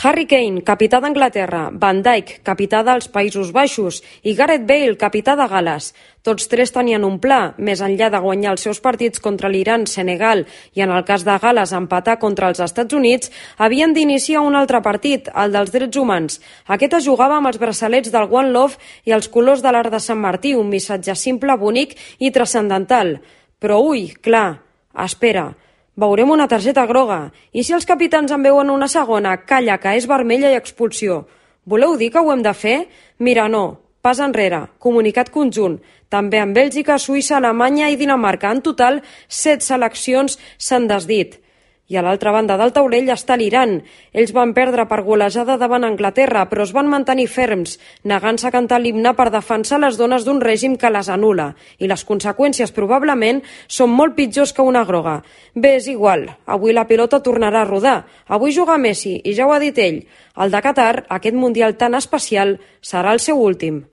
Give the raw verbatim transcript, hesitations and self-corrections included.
Harry Kane, capità d'Anglaterra, Van Dijk, capità dels Països Baixos i Gareth Bale, capità de Gal·les. Tots tres tenien un pla, més enllà de guanyar els seus partits contra l'Iran, Senegal i, en el cas de Gal·les, empatar contra els Estats Units, havien d'iniciar un altre partit, el dels drets humans. Aquest es jugava amb els braçalets del One Love i els colors de l'Arc de Sant Martí, un missatge simple, bonic i transcendental. Però, ui, clar, espera, veurem una targeta groga. I si els capitans en veuen una segona, calla, que és vermella i expulsió. Voleu dir que ho hem de fer? Mira, no. Pas enrere. Comunicat conjunt. També en Bèlgica, Suïssa, Alemanya i Dinamarca. En total, set seleccions s'han desdit. I a l'altra banda del taulell està l'Iran. Ells van perdre per golejada davant Anglaterra, però es van mantenir ferms, negant-se a cantar l'himne per defensar les dones d'un règim que les anul·la. I les conseqüències probablement són molt pitjors que una groga. Bé, és igual. Avui la pilota tornarà a rodar. Avui juga Messi, i ja ho ha dit ell. El de Qatar, aquest mundial tan especial, serà el seu últim.